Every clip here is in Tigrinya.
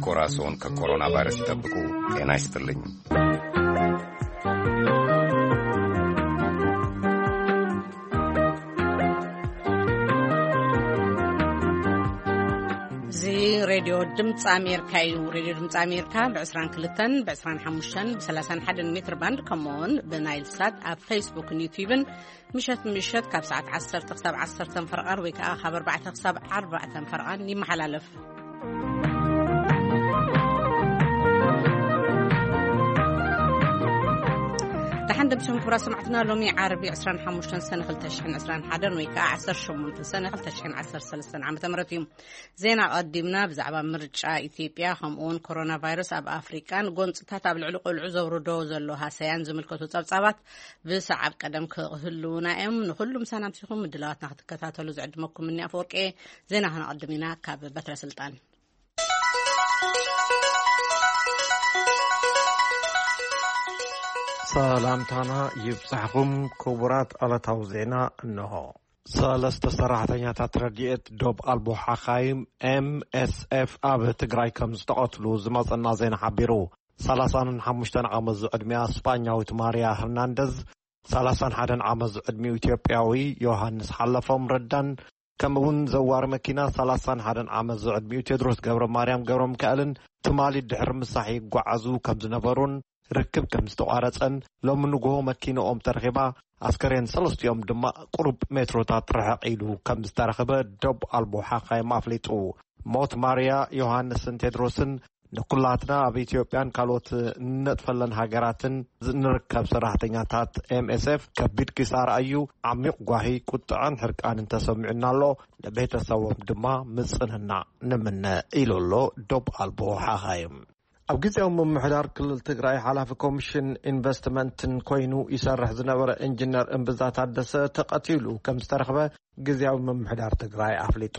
ኮራሶን ከኮሮና ቫይረስ ይጠብቁ። ጤና ይስጥልኝ። እዚ ሬድዮ ድምፂ ኣሜሪካ እዩ። ሬድዮ ድምፂ ኣሜሪካ ብ22፣ ብ25፣ ብ31 ሜትር ባንድ፣ ከምኡውን ብናይል ሳት፣ ኣብ ፌስቡክን ዩቲዩብን ምሸት ምሸት ካብ ሰዓት ዓሰርተ ክሳብ ዓሰርተ ፈረቓን ወይ ከዓ ካብ ኣርባዕተ ክሳብ ኣርባዕተ ፈረቓን ይመሓላለፍ። ደሓን ደምሲኹም ክቡራት ሰማዕትና፣ ሎሚ ዓርቢ ዕስራን ሓሙሽተን ሰነ ክልተ ሽሕን ዕስራን ሓደን ወይ ከዓ ዓሰርተ ሸሞንተ ሰነ ክልተ ሽሕን ዓሰርተ ሰለስተን ዓመተ ምህረት እዩ። ዜና ቀዲምና ብዛዕባ ምርጫ ኢትዮጵያ ከምኡውን ኮሮና ቫይረስ ኣብ ኣፍሪቃን ጎንፅታት ኣብ ልዕሊ ቆልዑ ዘውርዶ ዘሎ ሃሰያን ዝምልከቱ ጸብጻባት ብሰዓብ ቀደም ክህልውና እዮም። ንኹሉ ምሳና ምሲኹም ምድላዋትና ክትከታተሉ ዝዕድመኩም እኒ ኣፈወርቂ። ዜና ክነቐድም ኢና ካብ በትረ ስልጣን። ሰላምታና ይብጻሕኹም ክቡራት ዕለታዊ ዜና እንሆ። ሰለስተ ሰራሕተኛታት ረድኤት ዶብ ኣልቦ ሓኻይም ኤምኤስኤፍ ኣብ ትግራይ ከም ዝተቐትሉ ዝመጸና ዜና ሓቢሩ። ሰላሳን ሓሙሽተን ዓመት ዝዕድሚኣ ስጳኛዊት ማርያ ህርናንደዝ፣ ሰላሳን ሓደን ዓመት ዝዕድሚኡ ኢትዮጵያዊ ዮሃንስ ሓለፎም ረዳን፣ ከምኡ እውን ዘዋሪ መኪና ሰላሳን ሓደን ዓመት ዝዕድሚኡ ቴድሮስ ገብረ ማርያም ገብረ ሚካኤልን ትማሊ ድሕሪ ምሳሕ ይጓዓዙ ከም ዝነበሩን ርክብ ከም ዝተቋረጸን፣ ሎሚ ንግሆ መኪንኦም ተረኺባ፣ ኣስከሬን ሰለስቲኦም ድማ ቁሩብ ሜትሮታት ርሕቕ ኢሉ ከም ዝተረኽበ ዶብ ኣልቦ ሓኻይም ኣፍሊጡ። ሞት ማርያ፣ ዮሃንስን ቴድሮስን ንኩላትና ኣብ ኢትዮጵያን ካልኦት እንነጥፈለን ሃገራትን ንርከብ ሰራሕተኛታት ኤምኤስኤፍ ከቢድ ኪሳራ እዩ። ዓሚቕ ጓሂ፣ ቁጥዐን ሕርቃንን ተሰሚዑና ኣሎ። ንቤተሰቦም ድማ ምጽንናዕ ንምነ ኢሉ ኣሎ ዶብ ኣልቦ ሓኻይም። ኣብ ግዜያዊ ምምሕዳር ክልል ትግራይ ሓላፊ ኮሚሽን ኢንቨስትመንትን ኮይኑ ይሰርሕ ዝነበረ ኢንጂነር እምብዛ ታደሰ ተቐቲሉ ከም ዝተረኽበ ግዜያዊ ምምሕዳር ትግራይ ኣፍሊጡ።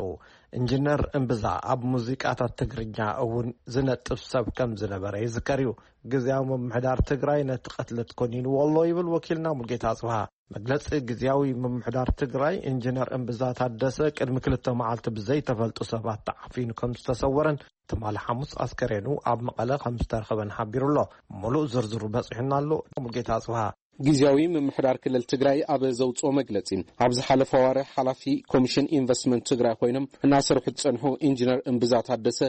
ኢንጂነር እምብዛ ኣብ ሙዚቃታት ትግርኛ እውን ዝነጥፍ ሰብ ከም ዝነበረ ይዝከር እዩ። ግዜያዊ ምምሕዳር ትግራይ ነቲ ቅትለት ኮኒንዎ ኣሎ ይብል ወኪልና ሙልጌታ ኣጽብሃ። መግለጺ ግዜያዊ ምምሕዳር ትግራይ፣ ኢንጂነር እምብዛ ታደሰ ቅድሚ ክልተ መዓልቲ ብዘይተፈልጡ ሰባት ተዓፊኑ ከም ዝተሰወረን ትማሊ ሓሙስ ኣስከሬኑ ኣብ መቐለ ከም ዝተረኸበን ሓቢሩ ኣሎ። ሙሉእ ዝርዝሩ በጺሑና ኣሎ። ሙልጌታ ኣጽብሃ። ግዜያዊ ምምሕዳር ክልል ትግራይ ኣብ ዘውፅኦ መግለፂ፣ ኣብ ዝሓለፈ ኣዋርሕ ሓላፊ ኮሚሽን ኢንቨስትመንት ትግራይ ኮይኖም እናሰርሑ ዝፀንሑ ኢንጂነር እምብዛ ታደሰ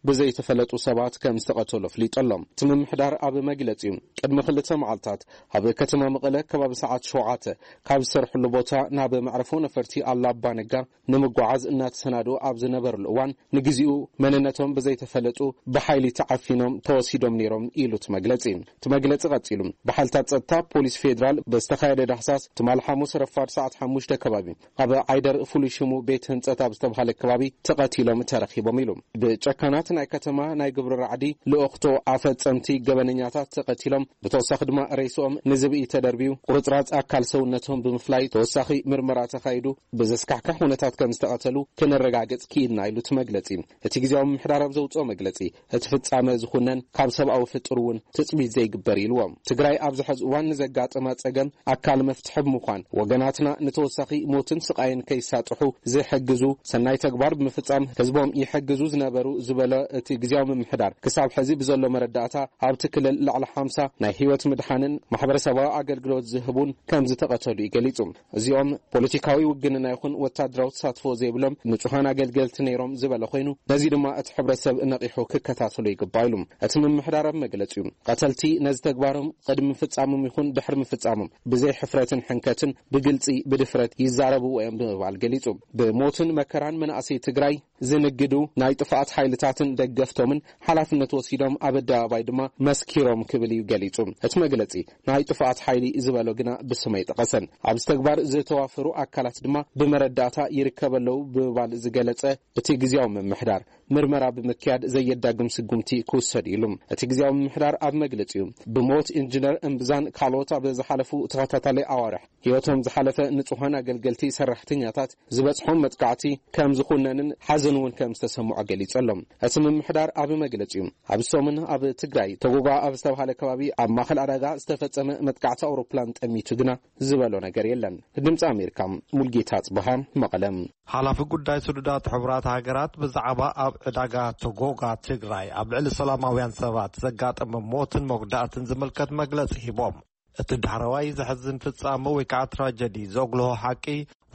ብዘይተፈለጡ ሰባት ከም ዝተቐተሉ ኣፍሊጡ ኣሎ። እቲ ምምሕዳር ኣብ መግለፂኡ፣ ቅድሚ ክልተ መዓልታት ኣብ ከተማ መቐለ ከባቢ ሰዓት ሸውዓተ ካብ ዝሰርሕሉ ቦታ ናብ መዕረፎ ነፈርቲ ኣላባ ነጋ ንምጓዓዝ እናተሰናድኡ ኣብ ዝነበርሉ እዋን፣ ንግዚኡ መንነቶም ብዘይተፈለጡ ብሓይሊ ተዓፊኖም ተወሲዶም ነይሮም ኢሉ እቲ መግለጺ። እቲ መግለጺ ቀጺሉ፣ ብሓይልታት ጸጥታ ፖሊስ ፌዴራል ብዝተኻየደ ዳህሳስ ትማሊ ሓሙስ ረፋድ ሰዓት ሓሙሽተ ከባቢ ኣብ ዓይደር ፍሉይ ሽሙ ቤት ህንጸት ኣብ ዝተባሃለ ከባቢ ተቐቲሎም ተረኺቦም ኢሉ። ብጨካናት ናይ ከተማ ናይ ግብሪ ራዕዲ ልእኽቶ ኣፈጸምቲ ገበነኛታት ተቐቲሎም፣ ብተወሳኺ ድማ ሬስኦም ንዝብኢ ተደርብዩ ቁርጽራጽ ኣካል ሰውነቶም ብምፍላይ ተወሳኺ ምርመራ ተኻይዱ ብዘስካሕክሕ ኩነታት ከም ዝተቐተሉ ክነረጋግጽ ክኢልና ኢሉ እቲ መግለጺ። እቲ ግዜያዊ ምምሕዳር ኣብ ዘውጽኦ መግለጺ፣ እቲ ፍጻመ ዝኹነን ካብ ሰብኣዊ ፍጡር እውን ትጽቢት ዘይግበር ኢልዎ። ትግራይ ኣብዚ ሕዚ እዋን ንዘጋጠማ ጸገም ኣካል መፍትሒ ብምዃን፣ ወገናትና ንተወሳኺ ሞትን ስቓይን ከይሳጥሑ ዝሕግዙ ሰናይ ተግባር ብምፍጻም ህዝቦም ይሕግዙ ዝነበሩ ዝበለ እቲ ግዜያዊ ምምሕዳር፣ ክሳብ ሕዚ ብዘሎ መረዳእታ ኣብቲ ክልል ልዕሊ ሓምሳ ናይ ህይወት ምድሓንን ማሕበረሰባዊ ኣገልግሎት ዝህቡን ከም ዝተቐተሉ እዩ ገሊጹ። እዚኦም ፖለቲካዊ ውግንና ይኹን ወታደራዊ ተሳትፎ ዘይብሎም ንጹሃን ኣገልገልቲ ነይሮም ዝበለ ኮይኑ፣ ነዚ ድማ እቲ ሕብረተሰብ ነቒሑ ክከታተሎ ይግባእ ኢሉ። እቲ ምምሕዳር ኣብ መግለጺኡ፣ ቀተልቲ ነዚ ተግባሮም ቅድሚ ምፍጻሞም ይኹን ድሕሪ ምፍጻሞም ብዘይ ሕፍረትን ሕንከትን ብግልጺ ብድፍረት ይዛረብዎ እዮም ብምባል ገሊጹ። ብሞትን መከራን መናእሰይ ትግራይ ዝንግዱ ናይ ጥፍኣት ሓይልታትን ደገፍቶምን ሓላፍነት ወሲዶም ኣብ ኣደባባይ ድማ መስኪሮም ክብል እዩ ገሊጹ። እቲ መግለጺ ናይ ጥፍኣት ሓይሊ ዝበሎ ግና ብስም ኣይጠቐሰን። ኣብዚ ተግባር ዝተዋፈሩ ኣካላት ድማ ብመረዳእታ ይርከቡ ኣለዉ ብምባል ዝገለጸ እቲ ግዜያዊ ምምሕዳር፣ ምርመራ ብምክያድ ዘየዳግም ስጉምቲ ክውሰድ ኢሉ። እቲ ግዜያዊ ምምሕዳር ኣብ መግለጺኡ፣ ብሞት ኢንጂነር እምብዛን ካልኦት ኣብ ዝሓለፉ ተኸታታሊ ኣዋርሕ ህይወቶም ዝሓለፈ ንጹሃን ኣገልገልቲ ሰራሕተኛታት ዝበጽሖም መጥቃዕቲ ከም ዝኹነንን ሓዘን እውን ከም ዝተሰምዖ ገሊጹ ኣሎ። እቲ ምምሕዳር ኣብ መግለጺኡ፣ ኣብ ሰሙን ኣብ ትግራይ ተጎባ ኣብ ዝተባሃለ ከባቢ ኣብ ማእከል ዕዳጋ ዝተፈጸመ መጥቃዕቲ ኣውሮፕላን ጠሚቱ ግና ዝበሎ ነገር የለን። ድምፂ ኣሜሪካ፣ ሙልጌታ ጽብሃ፣ መቐለ። ሓላፊ ጉዳይ ስዱዳት ሕቡራት ሃገራት ብዛዕባ ኣብ ዕዳጋ ቶጎጋ ትግራይ ኣብ ልዕሊ ሰላማውያን ሰባት ዘጋጠመ ሞትን መጉዳእትን ዝምልከት መግለጺ ሂቦም። እቲ ዳሕረዋይ ዘሕዝን ፍጻመ ወይ ከዓ ትራጀዲ ዘጉልሆ ሓቂ፣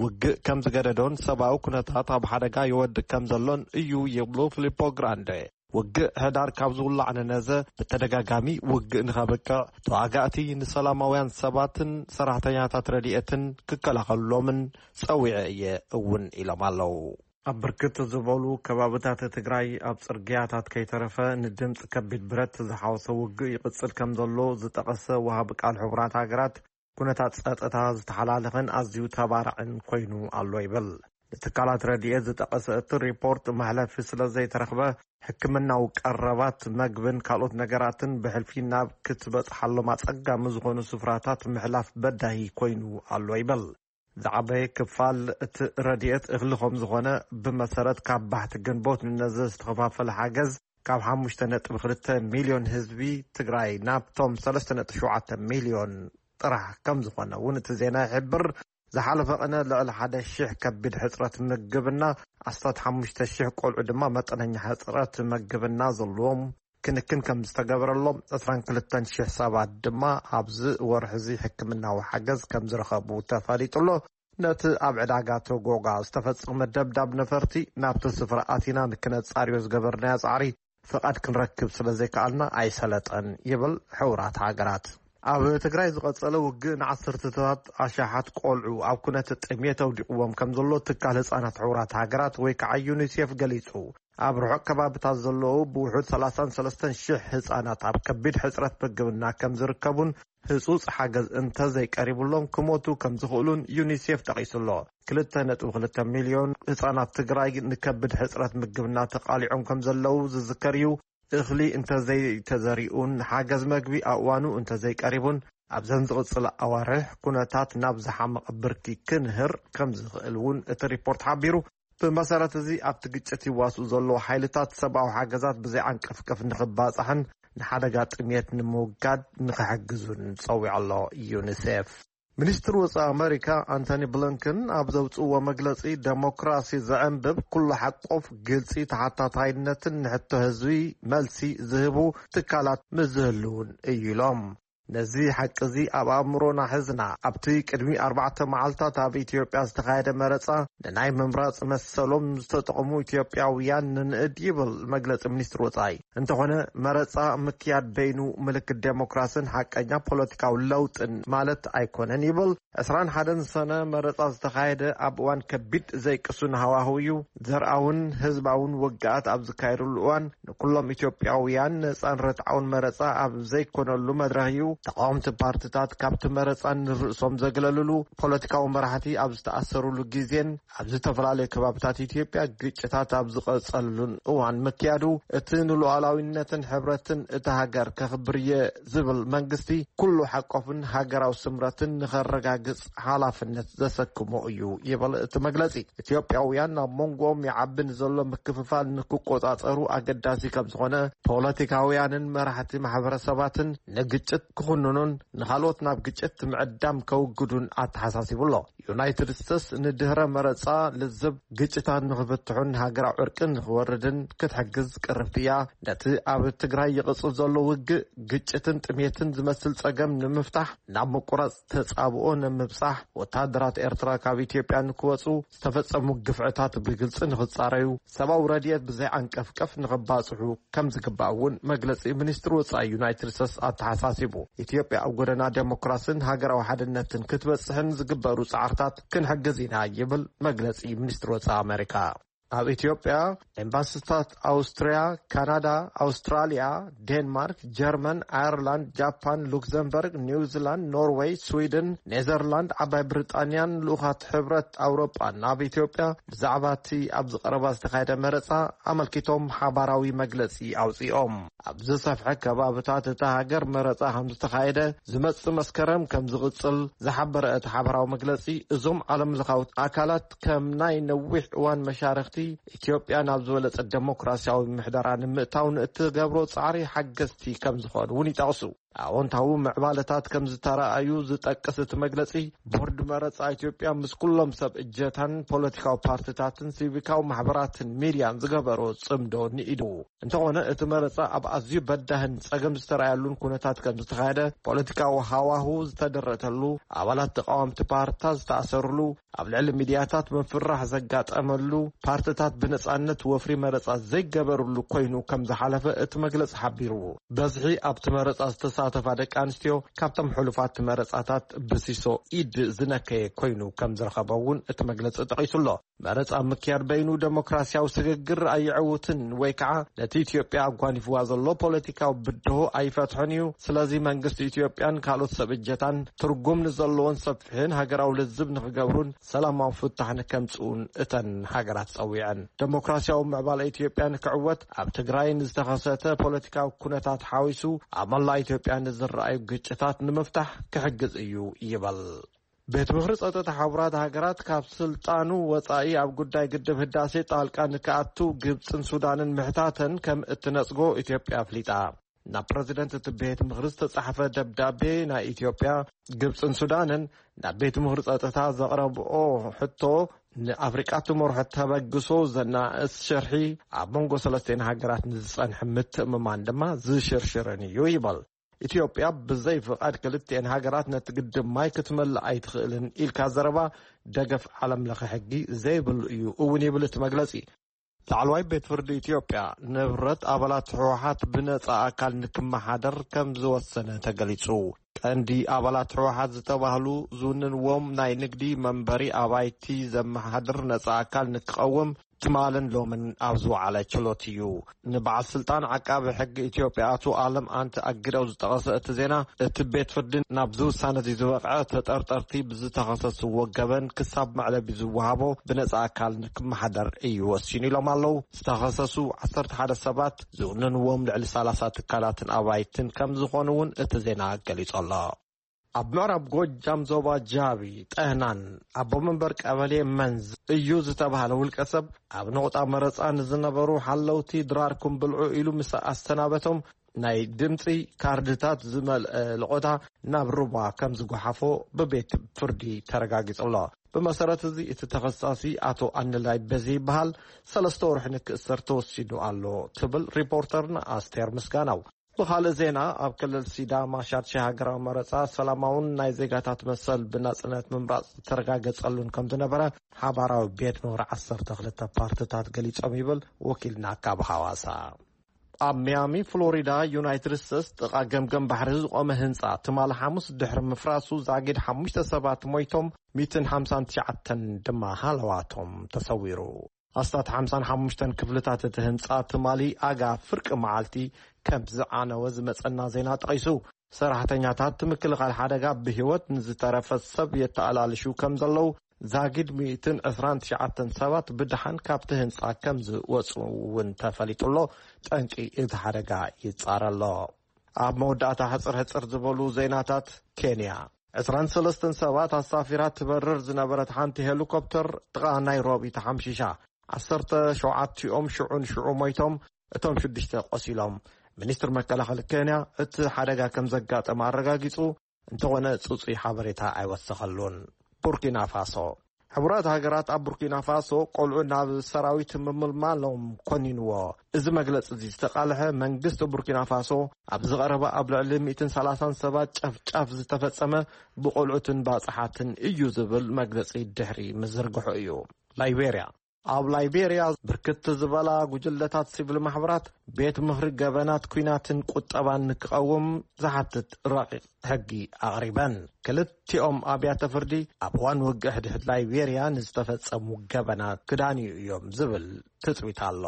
ውግእ ከም ዝገደዶን ሰብኣዊ ኩነታት ኣብ ሓደጋ ይወድቅ ከም ዘሎን እዩ ይብሉ ፊሊፖ ግራንደ። ውግእ ሕዳር ካብ ዝውላዕ ንነዘ ብተደጋጋሚ ውግእ ንኸብቅዕ፣ ተዋጋእቲ ንሰላማውያን ሰባትን ሰራሕተኛታት ረድኤትን ክከላኸሉሎምን ጸዊዐ እየ እውን ኢሎም ኣለዉ። ኣብ ብርክት ዝበሉ ከባብታት ትግራይ ኣብ ጽርግያታት ከይተረፈ ንድምፂ ከቢድ ብረት ዝሓወሰ ውግእ ይቕጽል ከም ዘሎ ዝጠቐሰ ወሃቢ ቃል ሕቡራት ሃገራት፣ ኩነታት ጸጥታ ዝተሓላለኸን ኣዝዩ ተባራዕን ኮይኑ ኣሎ ይብል። ንትካላት ረድኤት ዝጠቐሰ እቲ ሪፖርት፣ መሕለፊ ስለ ዘይተረኽበ፣ ሕክምናዊ ቀረባት፣ መግብን ካልኦት ነገራትን ብሕልፊ ናብ ክትበጽሓሎም ኣጸጋሚ ዝኾኑ ስፍራታት ምሕላፍ በዳሂ ኮይኑ ኣሎ ይብል። ዝዓበየ ክፋል እቲ ረድኤት እኽሊ ከም ዝኾነ፣ ብመሰረት ካብ ባሕቲ ግንቦት ንነዘ ዝተኸፋፈለ ሓገዝ፣ ካብ ሓሙሽተ ነጥቢ ክልተ ሚልዮን ህዝቢ ትግራይ ናብቶም ሰለስተ ነጥቢ ሸውዓተ ሚልዮን ጥራሕ ከም ዝኾነ እውን እቲ ዜና ይሕብር። ዝሓለፈ ቅነ ልዕሊ ሓደ ሺሕ ከቢድ ሕጽረት ምግብና፣ ኣስታት ሓሙሽተ ሺሕ ቆልዑ ድማ መጠነኛ ሕጽረት ምግብና ዘለዎም ክንክን ከም ዝተገበረሎም፣ ዕስራን ክልተን ሺሕ ሰባት ድማ ኣብዚ ወርሒ እዚ ሕክምናዊ ሓገዝ ከም ዝረኸቡ ተፈሊጡ ኣሎ። ነቲ ኣብ ዕዳጋ ቶጎጋ ዝተፈጸመ ደብዳብ ነፈርቲ፣ ናብቲ ስፍራ ኣቲና ንክነጻርዮ ዝገበርናዮ ጻዕሪ ፍቓድ ክንረክብ ስለ ዘይከኣልና ኣይሰለጠን ይብል ሕቡራት ሃገራት። ኣብ ትግራይ ዝቐጸለ ውግእ ንዓሰርተታት ኣሽሓት ቆልዑ ኣብ ኩነት ጥሜት ኣውዲቕዎም ከም ዘሎ ትካል ህጻናት ሕቡራት ሃገራት ወይ ከዓ ዩኒሴፍ ገሊጹ። ኣብ ርሑቕ ከባብታት ዘለዉ ብውሑድ ሰላሳን ሰለስተን ሺሕ ህጻናት ኣብ ከቢድ ሕጽረት ምግብና ከም ዝርከቡን ህጹጽ ሓገዝ እንተዘይቀሪቡሎም ክሞቱ ከም ዝኽእሉን ዩኒሴፍ ጠቒሱ ኣሎ። ክልተ ነጥቢ ክልተ ሚልዮን ህጻናት ትግራይ ንከቢድ ሕጽረት ምግብና ተቓሊዖም ከም ዘለዉ ዝዝከር እዩ። እኽሊ እንተዘይተዘሪኡን ሓገዝ መግቢ ኣብ እዋኑ እንተዘይቀሪቡን፣ ኣብዘን ዝቕጽላ ኣዋርሕ ኩነታት ናብ ዝሓመቐ ብርኪ ክንህር ከም ዝኽእል እውን እቲ ሪፖርት ሓቢሩ። ብመሰረት እዚ፣ ኣብቲ ግጭት ይዋስኡ ዘለዉ ሓይልታት ሰብኣዊ ሓገዛት ብዘይዓንቀፍቀፍ ንኽባጻሕን ንሓደጋ ጥሜት ንምውጋድ ንኽሕግዙን ጸዊዑ ኣሎ ዩኒሴፍ። ሚኒስትር ወጻኢ ኣመሪካ ኣንቶኒ ብሊንከን ኣብ ዘውጽእዎ መግለጺ፣ ደሞክራሲ ዘዕንብብ፣ ኩሉ ሓቆፍ፣ ግልጺ፣ ተሓታታይነትን ንሕቶ ህዝቢ መልሲ ዝህቡ ትካላት ምስ ዝህልውን እዩ ኢሎም። ነዚ ሓቂ እዚ ኣብ ኣእምሮና ሒዝና፣ ኣብቲ ቅድሚ ኣርባዕተ መዓልታት ኣብ ኢትዮጵያ ዝተኻየደ መረጻ፣ ንናይ ምምራጽ መሰሎም ዝተጠቕሙ ኢትዮጵያውያን ንንእድ ይብል መግለጺ ሚኒስትሪ ወጻኢ። እንተኾነ፣ መረጻ ምክያድ በይኑ ምልክት ዴሞክራስን ሓቀኛ ፖለቲካዊ ለውጥን ማለት ኣይኮነን ይብል። ዕስራን ሓደን ሰነ መረጻ ዝተኻየደ ኣብ እዋን ከቢድ ዘይቅሱን ሃዋህው እዩ። ዘርኣውን ህዝባውን ውግኣት ኣብ ዝካየደሉ እዋን፣ ንኩሎም ኢትዮጵያውያን ነጻን ርትዓውን መረጻ ኣብ ዘይኮነሉ መድረኽ እዩ። ተቓወምቲ ፓርትታት ካብቲ መረጻ ንርእሶም ዘግለልሉ፣ ፖለቲካዊ መራሕቲ ኣብ ዝተኣሰሩሉ ግዜን ኣብ ዝተፈላለዩ ከባብታት ኢትዮጵያ ግጭታት ኣብ ዝቐጸሉን እዋን ምክያዱ፣ እቲ ንሉዓላዊነትን ሕብረትን እታ ሃገር ከኽብር እየ ዝብል መንግስቲ፣ ኩሉ ሓቆፍን ሃገራዊ ስምረትን ንኸረጋግጽ ሓላፍነት ዘሰክሞ እዩ ይብል እቲ መግለጺ። ኢትዮጵያውያን ኣብ መንጎኦም ይዓቢ ንዘሎ ምክፍፋል ንክቆጻጸሩ ኣገዳሲ ከም ዝኾነ፣ ፖለቲካውያንን መራሕቲ ማሕበረሰባትን ንግጭት ክኹንኑን ንኻልኦት ናብ ግጭት ምዕዳም ከውግዱን ኣተሓሳሲቡ ኣሎ። ዩናይትድ ስቴትስ ንድህረ መረጻ ልዝብ ግጭታት ንኽፍትሑን ሃገራዊ ዕርቂ ንኽወርድን ክትሕግዝ ቅርብቲ እያ። ነቲ ኣብ ትግራይ ይቕጽል ዘሎ ውግእ፣ ግጭትን ጥሜትን ዝመስል ጸገም ንምፍታሕ፣ ናብ ምቁራጽ ተጻብኦ ንምብጻሕ፣ ወተሃደራት ኤርትራ ካብ ኢትዮጵያ ንክወጹ፣ ዝተፈጸሙ ግፍዕታት ብግልጺ ንኽጻረዩ፣ ሰብኣዊ ረድኤት ብዘይዓንቀፍቀፍ ንኽባጽሑ ከም ዝግባእ እውን መግለጺ ሚኒስትሪ ወጻኢ ዩናይትድ ስቴትስ ኣተሓሳሲቡ። ኢትዮጵያ ኣብ ጎደና ዴሞክራስን ሃገራዊ ሓድነትን ክትበጽሕን ዝግበሩ ጻዕርታት ክንሕግዝ ኢና ይብል መግለጺ ሚኒስትሪ ወጻኢ ኣመሪካ። ኣብ ኢትዮጵያ ኤምባሲታት ኣውስትርያ፣ ካናዳ፣ ኣውስትራልያ፣ ዴንማርክ፣ ጀርመን፣ ኣየርላንድ፣ ጃፓን፣ ሉክዘምበርግ፣ ኒውዚላንድ፣ ኖርዌይ፣ ስዊድን፣ ኔዘርላንድ፣ ዓባይ ብሪጣንያን ልኡኻት ሕብረት ኣውሮጳን ኣብ ኢትዮጵያ ብዛዕባ እቲ ኣብዚ ቀረባ ዝተኻየደ መረጻ ኣመልኪቶም ሓባራዊ መግለጺ ኣውጺኦም። ኣብ ዝሰፍሐ ከባብታት እታ ሃገር መረጻ ከም ዝተኻየደ፣ ዝመጽእ መስከረም ከም ዝቕጽል ዝሓበረ እቲ ሓባራዊ መግለጺ፣ እዞም ዓለም ለኻዊ ኣካላት ከም ናይ ነዊሕ እዋን መሻርኽቲ፣ ኢትዮጵያ ናብ ዝበለጸ ደሞክራሲያዊ ምሕደራ ንምእታው ንእትገብሮ ጻዕሪ ሓገዝቲ ከም ዝኾኑ እውን ይጠቕሱ። ኣዎንታዊ ምዕባለታት ከም ዝተረኣዩ ዝጠቅስ እቲ መግለጺ፣ ቦርድ መረጻ ኢትዮጵያ ምስ ኩሎም ሰብ እጀታን ፖለቲካዊ ፓርቲታትን ሲቪካዊ ማሕበራትን ሚድያን ዝገበሮ ጽምዶ ንኢዱ። እንተኾነ እቲ መረጻ ኣብ ኣዝዩ በዳህን ጸገም ዝተረኣየሉን ኩነታት ከም ዝተኻየደ፣ ፖለቲካዊ ሃዋሁ ዝተደረተሉ፣ ኣባላት ተቃወምቲ ፓርቲታት ዝተኣሰርሉ፣ ኣብ ልዕሊ ሚድያታት ምፍራሕ ዘጋጠመሉ፣ ፓርቲታት ብነጻነት ወፍሪ መረጻ ዘይገበርሉ ኮይኑ ከም ዝሓለፈ እቲ መግለጺ ሓቢሩ። በዝሒ ኣብቲ መረጻ ዝተሳተፋ ደቂ ኣንስትዮ ካብቶም ሕሉፋት መረጻታት ብሲሶ ኢድ ዝነከየ ኮይኑ ከም ዝረኸበ እውን እቲ መግለጺ ጠቒሱ ኣሎ። መረጻ ምክያድ በይኑ ደሞክራሲያዊ ስግግር ኣየዕውትን ወይ ከዓ ነቲ ኢትዮጵያ ኣጓኒፍዋ ዘሎ ፖለቲካዊ ብድሆ ኣይፈትሖን እዩ። ስለዚ መንግስቲ ኢትዮጵያን ካልኦት ሰብ እጀታን ትርጉም ንዘለዎን ሰፊሕን ሃገራዊ ልዝብ ንክገብሩን ሰላማዊ ፍታሕ ንከምፅኡን እተን ሃገራት ጸዊዐን። ደሞክራሲያዊ ምዕባለ ኢትዮጵያ ንክዕወት ኣብ ትግራይ ንዝተኸሰተ ፖለቲካዊ ኩነታት ሓዊሱ ኣብ መላእ ኢትዮጵያ ንዝረኣዩ ግጭታት ንምፍታሕ ክሕግዝ እዩ ይበል። ቤት ምኽሪ ጸጥታ ሕቡራት ሃገራት ካብ ስልጣኑ ወጻኢ ኣብ ጉዳይ ግድብ ህዳሴ ጣልቃ ንክኣቱ ግብጽን ሱዳንን ምሕታተን ከም እትነጽጎ ኢትዮጵያ ኣፍሊጣ። ናብ ፕረዚደንት እቲ ቤት ምኽሪ ዝተጻሕፈ ደብዳቤ ናይ ኢትዮጵያ፣ ግብጽን ሱዳንን ናብ ቤት ምኽሪ ጸጥታ ዘቕረብኦ ሕቶ ንኣፍሪቃ ትመርሖ ተበግሶ ዘናእስ ሽርሒ ኣብ መንጎ ሰለስቴን ሃገራት ንዝጸንሐ ምትእምማን ድማ ዝሽርሽርን እዩ ይበል። ኢትዮጵያ ብዘይ ፍቓድ ክልቲኤን ሃገራት ነቲ ግድብ ማይ ክትመልእ ኣይትኽእልን ኢልካ ዘረባ ደገፍ ዓለም ለኸ ሕጊ ዘይብሉ እዩ እውን ይብል እቲ መግለጺ። ላዕለዋይ ቤት ፍርዲ ኢትዮጵያ ንብረት ኣባላት ህወሓት ብነጻ ኣካል ንክመሓደር ከም ዝወሰነ ተገሊጹ። ቀንዲ ኣባላት ህወሓት ዝተባህሉ ዝውንንዎም ናይ ንግዲ መንበሪ ኣባይቲ ዘመሓድር ነጻ ኣካል ንክቐውም ትማልን ሎምን ኣብ ዝወዓለ ችሎት እዩ። ንበዓል ስልጣን ዓቃቢ ሕጊ ኢትዮጵያ ኣቶ ኣለም ኣንቲ ኣግደው ዝጠቐሰ እቲ ዜና፣ እቲ ቤት ፍርዲ ናብዚ ውሳነ እዚ ዝበቕዐ ተጠርጠርቲ ብዝተኸሰስዎ ገበን ክሳብ መዕለቢ ዝወሃቦ ብነጻ ኣካል ንክመሓደር እዩ ወሲኑ ኢሎም ኣለዉ። ዝተኸሰሱ ዓሰርተ ሓደ ሰባት ዝውንንዎም ልዕሊ ሰላሳ ትካላትን ኣባይትን ከም ዝኾኑ እውን እቲ ዜና ገሊጹ ኣሎ። ኣብ ምዕራብ ጎጃም ዞባ ጃቢ ጠህናን ኣቦ መንበር ቀበሌ መንዝ እዩ ዝተባህለ ውልቀ ሰብ ኣብ ነቑጣ መረጻ ንዝነበሩ ሓለውቲ ድራርኩም ብልዑ ኢሉ ምስ ኣሰናበቶም ናይ ድምጺ ካርድታት ዝመልአ ልቖታ ናብ ሩባ ከም ዝጓሓፎ ብቤት ፍርዲ ተረጋጊጹ ኣሎ። ብመሰረት እዚ እቲ ተኸሳሲ ኣቶ ኣንላይ በዚ ይበሃል ሰለስተ ወርሒ ንክእሰር ተወሲኑ ኣሎ ትብል ሪፖርተርና ኣስቴር ምስጋናው። ብኻልእ ዜና ኣብ ክልል ሲዳማ ሻድሻይ ሃገራዊ መረጻ ሰላማውን ናይ ዜጋታት መሰል ብናጽነት ምምራጽ ዝተረጋገጸሉን ከም ዝነበረ ሓባራዊ ቤት ምኽሪ ዓሰርተ ክልተ ፓርትታት ገሊጾም ይብል ወኪልና ካብ ሃዋሳ። ኣብ ሚያሚ ፍሎሪዳ ዩናይትድ ስቴትስ ጥቓ ገምገም ባሕሪ ዝቖመ ህንጻ ትማሊ ሓሙስ ድሕሪ ምፍራሱ ዛጊድ ሓሙሽተ ሰባት ሞይቶም ሚእትን ሓምሳን ትሽዓተን ድማ ሃለዋቶም ተሰዊሩ። ኣስታት ሓምሳን ሓሙሽተን ክፍልታት እቲ ህንጻ ትማሊ ኣጋ ፍርቂ መዓልቲ ከም ዝዓነወ ዝመጸና ዜና ጠቒሱ፣ ሰራሕተኛታት ምክልኻል ሓደጋ ብህይወት ንዝተረፈ ሰብ የተኣላልሹ ከም ዘለዉ፣ ዛጊድ ሚእትን ዕስራን ትሽዓተን ሰባት ብድሓን ካብቲ ህንጻ ከም ዝወጹ እውን ተፈሊጡ ኣሎ። ጠንቂ እቲ ሓደጋ ይጻረ ኣሎ። ኣብ መወዳእታ ሕጽር ሕጽር ዝበሉ ዜናታት፣ ኬንያ ዕስራን ሰለስተን ሰባት ኣሳፊራ ትበርር ዝነበረት ሓንቲ ሄሊኮፕተር ጥቓ ናይሮቢ ተሓምሺሻ። ዓሰርተ ሸውዓቲኦም ሽዑ ንሽዑ ሞይቶም፣ እቶም ሽዱሽተ ቆሲሎም። ሚኒስትር መከላኸሊ ኬንያ እቲ ሓደጋ ከም ዘጋጠመ ኣረጋጊጹ፣ እንተኾነ ጽጹይ ሓበሬታ ኣይወሰኸሉን። ቡርኪና ፋሶ። ሕቡራት ሃገራት ኣብ ቡርኪና ፋሶ ቆልዑ ናብ ሰራዊት ምምልማሎም ኮኒንዎ። እዚ መግለጺ እዚ ዝተቓልሐ መንግስቲ ቡርኪና ፋሶ ኣብ ዝቐረበ ኣብ ልዕሊ ሚእትን ሰላሳን ሰባት ጨፍጫፍ ዝተፈጸመ ብቆልዑትን ባጽሓትን እዩ ዝብል መግለጺ ድሕሪ ምዝርግሑ እዩ። ላይቤርያ። ኣብ ላይቤርያ ብርክት ዝበላ ጉጅለታት ሲቪል ማሕበራት ቤት ምኽሪ ገበናት ኲናትን ቁጠባን ንክቐውም ዝሓትት ረቂቕ ሕጊ ኣቕሪበን። ክልቲኦም ኣብያተ ፍርዲ ኣብ እዋን ውግእ ሕድሕድ ላይቤርያ ንዝተፈጸሙ ገበናት ክዳንዩ እዮም ዝብል ትጽቢት ኣሎ።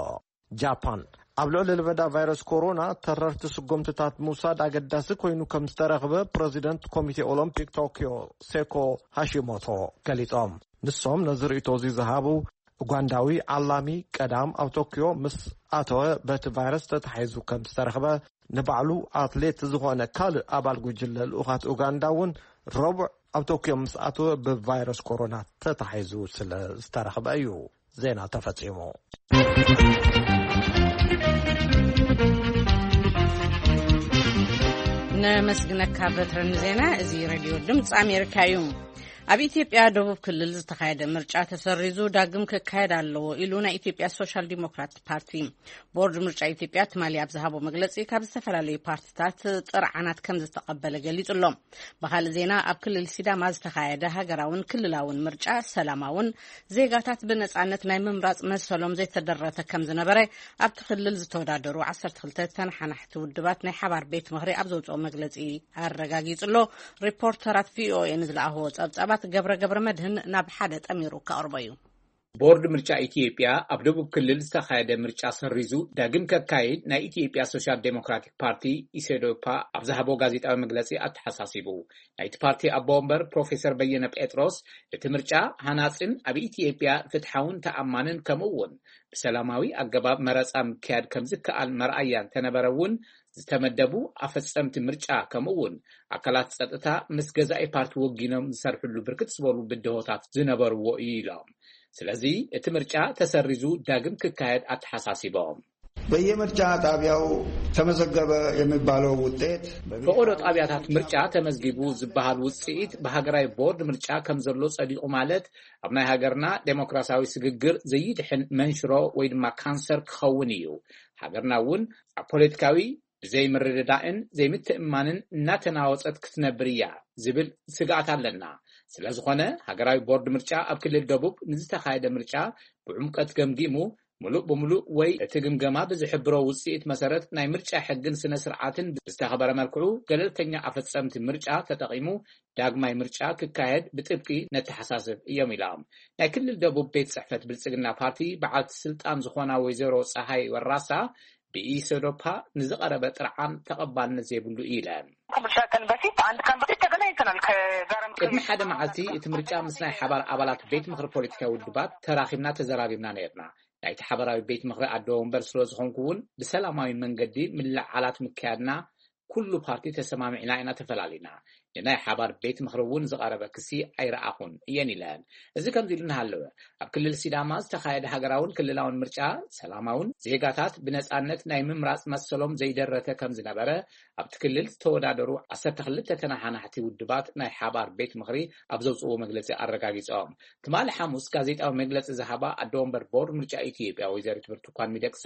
ጃፓን። ኣብ ልዕሊ ለበዳ ቫይረስ ኮሮና ተረርቲ ስጉምትታት ምውሳድ ኣገዳሲ ኮይኑ ከም ዝተረኽበ ፕረዚደንት ኮሚቴ ኦሎምፒክ ቶክዮ ሴኮ ሃሺሞቶ ገሊጾም። ንሶም ነዚ ርእይቶ እዚ ዝሃቡ ኡጋንዳዊ ዓላሚ ቀዳም ኣብ ቶክዮ ምስ ኣተወ በቲ ቫይረስ ተታሒዙ ከም ዝተረኽበ፣ ንባዕሉ ኣትሌት ዝኾነ ካልእ ኣባል ጉጅለ ልኡኻት ኡጋንዳ እውን ረቡዕ ኣብ ቶክዮ ምስ ኣተወ ብቫይረስ ኮሮና ተታሒዙ ስለ ዝተረኽበ እዩ። ዜና ተፈጺሙ። ኣመስግነካ በትረ ንዜና። እዚ ሬድዮ ድምፂ ኣሜሪካ እዩ። ኣብ ኢትዮጵያ ደቡብ ክልል ዝተኻየደ ምርጫ ተሰሪዙ ዳግም ክካየድ ኣለዎ ኢሉ ናይ ኢትዮጵያ ሶሻል ዲሞክራት ፓርቲ። ቦርድ ምርጫ ኢትዮጵያ ትማሊ ኣብ ዝሃቦ መግለፂ ካብ ዝተፈላለዩ ፓርትታት ጥርዓናት ከም ዝተቐበለ ገሊጹ ኣሎ። ብኻልእ ዜና ኣብ ክልል ሲዳማ ዝተኻየደ ሃገራውን ክልላውን ምርጫ ሰላማውን ዜጋታት ብነጻነት ናይ ምምራጽ መሰሎም ዘይተደረተ ከም ዝነበረ ኣብቲ ክልል ዝተወዳደሩ ዓሰርተ ክልተ ተነሓናሕቲ ውድባት ናይ ሓባር ቤት ምኽሪ ኣብ ዘውፅኦ መግለፂ ኣረጋጊጹ ኣሎ። ሪፖርተራት ቪኦኤ ንዝለኣኽዎ ጸብጻባት ገብረ ገብረ መድህን ናብ ሓደ ጠሚሩ ከቕርቦ እዩ። ቦርድ ምርጫ ኢትዮጵያ ኣብ ደቡብ ክልል ዝተኻየደ ምርጫ ሰሪዙ ዳግም ከካይድ ናይ ኢትዮጵያ ሶሻል ዴሞክራቲክ ፓርቲ ኢሶዴፓ ኣብ ዝሃቦ ጋዜጣዊ መግለጺ ኣተሓሳሲቡ። ናይቲ ፓርቲ ኣቦ ወንበር ፕሮፌሰር በየነ ጴጥሮስ እቲ ምርጫ ሃናጽን ኣብ ኢትዮጵያ ፍትሓውን ተኣማንን ከምኡ እውን ብሰላማዊ ኣገባብ መረጻ ምክያድ ከም ዝከኣል መርኣያ እንተነበረ እውን ዝተመደቡ ኣፈጸምቲ ምርጫ ከምኡ እውን ኣካላት ጸጥታ ምስ ገዛኢ ፓርቲ ወጊኖም ዝሰርሕሉ ብርክት ዝበሉ ብድሆታት ዝነበርዎ እዩ ኢሎም። ስለዚ እቲ ምርጫ ተሰሪዙ ዳግም ክካየድ ኣተሓሳሲቦም። በየምርጫ ጣቢያው ተመዘገበ የሚባለው ውጤት በብሔራዊ ፈቆዶ ጣቢያታት ምርጫ ተመዝጊቡ ዝበሃል ውፅኢት ብሃገራዊ ቦርድ ምርጫ ከም ዘሎ ጸዲቑ ማለት ኣብ ናይ ሃገርና ዴሞክራሲያዊ ስግግር ዘይድሕን መንሽሮ ወይ ድማ ካንሰር ክኸውን እዩ። ሃገርና እውን ኣብ ፖለቲካዊ ብዘይምርድዳእን ዘይምትእማንን እናተናወጸት ክትነብር እያ ዝብል ስግኣት ኣለና። ስለዝኾነ ሃገራዊ ቦርድ ምርጫ ኣብ ክልል ደቡብ ንዝተኻየደ ምርጫ ብዕምቀት ገምጊሙ ምሉእ ብምሉእ ወይ እቲ ግምገማ ብዝሕብሮ ውፅኢት መሰረት ናይ ምርጫ ሕግን ስነ ስርዓትን ብዝተኸበረ መልክዑ ገለልተኛ ኣፈፀምቲ ምርጫ ተጠቒሙ ዳግማይ ምርጫ ክካየድ ብጥብቂ ነተሓሳስብ እዮም ኢሎም። ናይ ክልል ደቡብ ቤት ፅሕፈት ብልፅግና ፓርቲ በዓልቲ ስልጣን ዝኾና ወይዘሮ ፀሃይ ወራሳ ብኢሰዶፓ ንዝቐረበ ጥርዓን ተቐባልነት ዘይብሉ ኢለን። ከምሻ ቀን በፊት አንድ ቀን በፊት ተገናኝተናል። ከጋረም ቅድሚ ሓደ መዓልቲ እቲ ምርጫ ምስ ናይ ሓባር ኣባላት ቤት ምኽሪ ፖለቲካዊ ውድባት ተራኺብና ተዘራሪብና ነርና። ናይቲ ሓባራዊ ቤት ምኽሪ ኣደ ወንበር ስለ ዝኾንኩ እውን ብሰላማዊ መንገዲ ምልዓላት ምክያድና ኩሉ ፓርቲ ተሰማሚዕና ኢና ተፈላሊና። ንናይ ሓባር ቤት ምኽሪ እውን ዝቐረበ ክሲ ኣይረኣኹን እየን ኢለን። እዚ ከምዚ ኢሉ እናሃለወ ኣብ ክልል ሲዳማ ዝተኻየደ ሃገራውን ክልላውን ምርጫ ሰላማውን ዜጋታት ብነፃነት ናይ ምምራፅ መሰሎም ዘይደረተ ከም ዝነበረ ኣብቲ ክልል ዝተወዳደሩ ዓሰርተ ክልተ ተነሓናሕቲ ውድባት ናይ ሓባር ቤት ምኽሪ ኣብ ዘውፅዎ መግለፂ ኣረጋጊፆም። ትማሊ ሓሙስ ጋዜጣዊ መግለፂ ዝሃባ ኣደ ወንበር ቦርድ ምርጫ ኢትዮጵያ ወይዘሪት ብርቱኳን ሚደቅሳ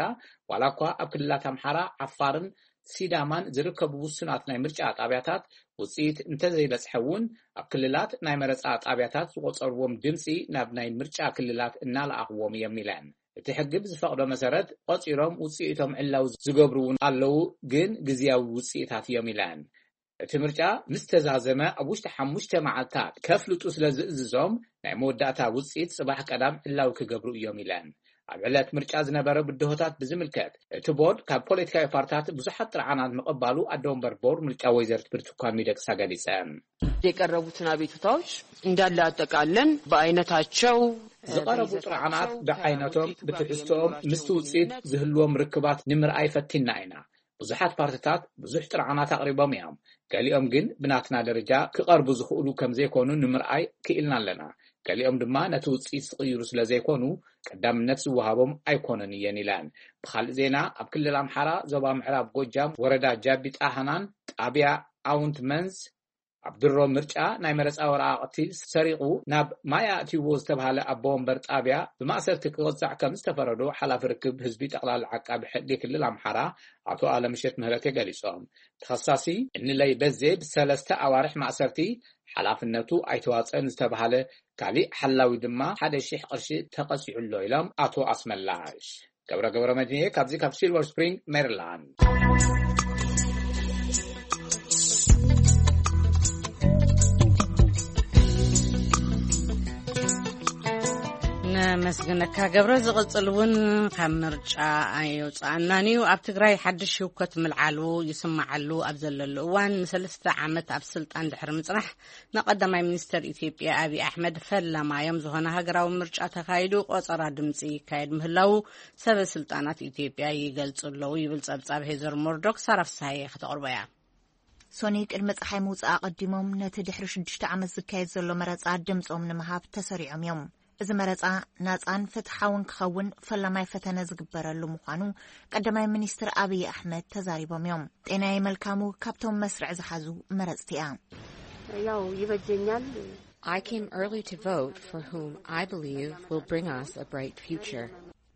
ዋላ እኳ ኣብ ክልላት ኣምሓራ፣ ዓፋርን ሲዳማን ዝርከቡ ውሱናት ናይ ምርጫ ጣቢያታት ውፅኢት እንተዘይበፅሐ እውን ኣብ ክልላት ናይ መረፃ ጣቢያታት ዝቆፀርዎም ድምፂ ናብ ናይ ምርጫ ክልላት እናለኣኽዎም እዮም ኢለን። እቲ ሕጊ ብዝፈቕዶ መሰረት ቆፂሮም ውፅኢቶም ዕላዊ ዝገብሩ እውን ኣለዉ፣ ግን ግዝያዊ ውፅኢታት እዮም ኢለን። እቲ ምርጫ ምስ ተዛዘመ ኣብ ውሽጢ ሓሙሽተ መዓልታት ከፍልጡ ስለ ዝእዝዞም ናይ መወዳእታ ውፅኢት ፅባሕ ቀዳም ዕላዊ ክገብሩ እዮም ኢለን። ኣብ ዕለት ምርጫ ዝነበረ ብድሆታት ብዝምልከት እቲ ቦርድ ካብ ፖለቲካዊ ፓርትታት ብዙሓት ጥርዓናት ምቕባሉ ኣደ ወንበር ቦርድ ምርጫ ወይዘሪት ብርቱኳን ሚደቅሳ ገሊፀን። የቀረቡትን አቤቱታዎች እንዳለ አጠቃለን በአይነታቸው ዝቐረቡ ጥርዓናት ብዓይነቶም ብትሕዝቶኦም ምስቲ ውፅኢት ዝህልዎም ርክባት ንምርኣይ ፈቲና ኢና። ብዙሓት ፓርትታት ብዙሕ ጥርዓናት ኣቕሪቦም እዮም። ገሊኦም ግን ብናትና ደረጃ ክቐርቡ ዝኽእሉ ከም ዘይኮኑ ንምርኣይ ክኢልና ኣለና። ገሊኦም ድማ ነቲ ውፅኢት ዝቕይሩ ስለ ዘይኮኑ ቀዳምነት ዝወሃቦም ኣይኮነን እየን ኢለን። ብኻልእ ዜና ኣብ ክልል ኣምሓራ ዞባ ምዕራብ ጎጃም ወረዳ ጃቢ ጣህናን ጣብያ ኣውንት መንዝ ኣብ ድሮ ምርጫ ናይ መረፃ ወረቓቕቲ ሰሪቑ ናብ ማይ ኣእትይዎ ዝተባሃለ ኣቦ ወንበር ጣብያ ብማእሰርቲ ክቕፃዕ ከም ዝተፈረዶ ሓላፊ ርክብ ህዝቢ ጠቕላላ ዓቃቢ ሕጊ ክልል ኣምሓራ ኣቶ ኣለምሸት ምህረቴ ገሊፆም። ተኸሳሲ እንለይ በዜ ብሰለስተ ኣዋርሕ ማእሰርቲ ሓላፍነቱ ኣይተዋፀን ዝተባሃለ ካሊእ ሓላዊ ድማ ሓደ ሺሕ ቅርሺ ተቐፂዑ ኣሎ ኢሎም ኣቶ ኣስመላሽ። ገብረ ገብረ መድንኤ ካብዚ ካብ ሲልቨር ስፕሪንግ ሜሪላንድ። ነመስግነካ ገብረ። ዝቕጽል እውን ካብ ምርጫ ኣይወፅኣናን እዩ። ኣብ ትግራይ ሓድሽ ህውከት ምልዓሉ ይስማዓሉ ኣብ ዘለሉ እዋን ንሰለስተ ዓመት ኣብ ስልጣን ድሕሪ ምፅናሕ ንቀዳማይ ሚኒስተር ኢትዮጵያ ኣብይ ኣሕመድ ፈላማዮም ዝኾነ ሃገራዊ ምርጫ ተኻይዱ ቆጸራ ድምፂ ይካየድ ምህላዉ ሰበ ስልጣናት ኢትዮጵያ ይገልጹ ኣለዉ ይብል ጸብጻብ ሄዘር ሞርዶክ። ሳራ ፍስሃየ ከተቕርቦ እያ። ሶኒ ቅድሚ ጸሓይ ምውጻእ ኣቐዲሞም ነቲ ድሕሪ ሽዱሽተ ዓመት ዝካየድ ዘሎ መረጻ ድምጾም ንምሃብ ተሰሪዖም እዮም። እዚ መረጻ ናጻን ፍትሓውን ክኸውን ፈላማይ ፈተነ ዝግበረሉ ምዃኑ ቀዳማይ ሚኒስትር ኣብይ ኣሕመድ ተዛሪቦም እዮም። ጤናየ መልካሙ ካብቶም መስርዕ ዝሓዙ መረጽቲ እያ። ያው ይበጀኛል። I came early to vote for whom I believe will bring us a bright future.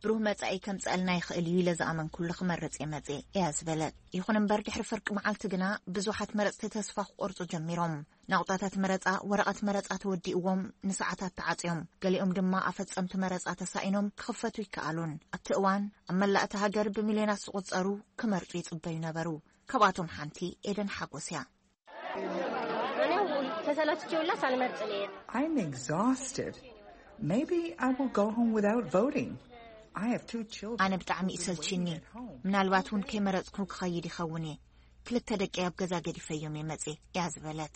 ብሩህ መጻኢ ከምጽኣልና ይኽእል እዩ ኢለ ዝኣመንኩሉ ክመርጽ እየ መጽእ እያ ዝበለት። ይኹን እምበር ድሕሪ ፍርቂ መዓልቲ ግና ብዙሓት መረጽቲ ተስፋ ክቆርጹ ጀሚሮም። ናቑጣታት መረጻ ወረቐት መረጻ ተወዲእዎም ንሰዓታት ተዓጽዮም። ገሊኦም ድማ ኣፈጸምቲ መረጻ ተሳኢኖም ክኽፈቱ ይከኣሉን። ኣብቲ እዋን ኣብ መላእቲ ሃገር ብሚልዮናት ዝቑጸሩ ክመርጹ ይጽበዩ ነበሩ። ካብኣቶም ሓንቲ ኤደን ሓጎስ እያ። እኔ ተሰላችቼ ሁላ ሳልመርጥ ልሄድ። I'm exhausted. Maybe I will go home without voting. I have two children. ኣነ ብጣዕሚ ይሰልችኒ። ምናልባት እውን ከይመረጽኩ ክኸይድ ይኸውን እየ። ክልተ ደቂ ኣብ ገዛ ገዲፈዮም እየ መጽእ እያ ዝበለት።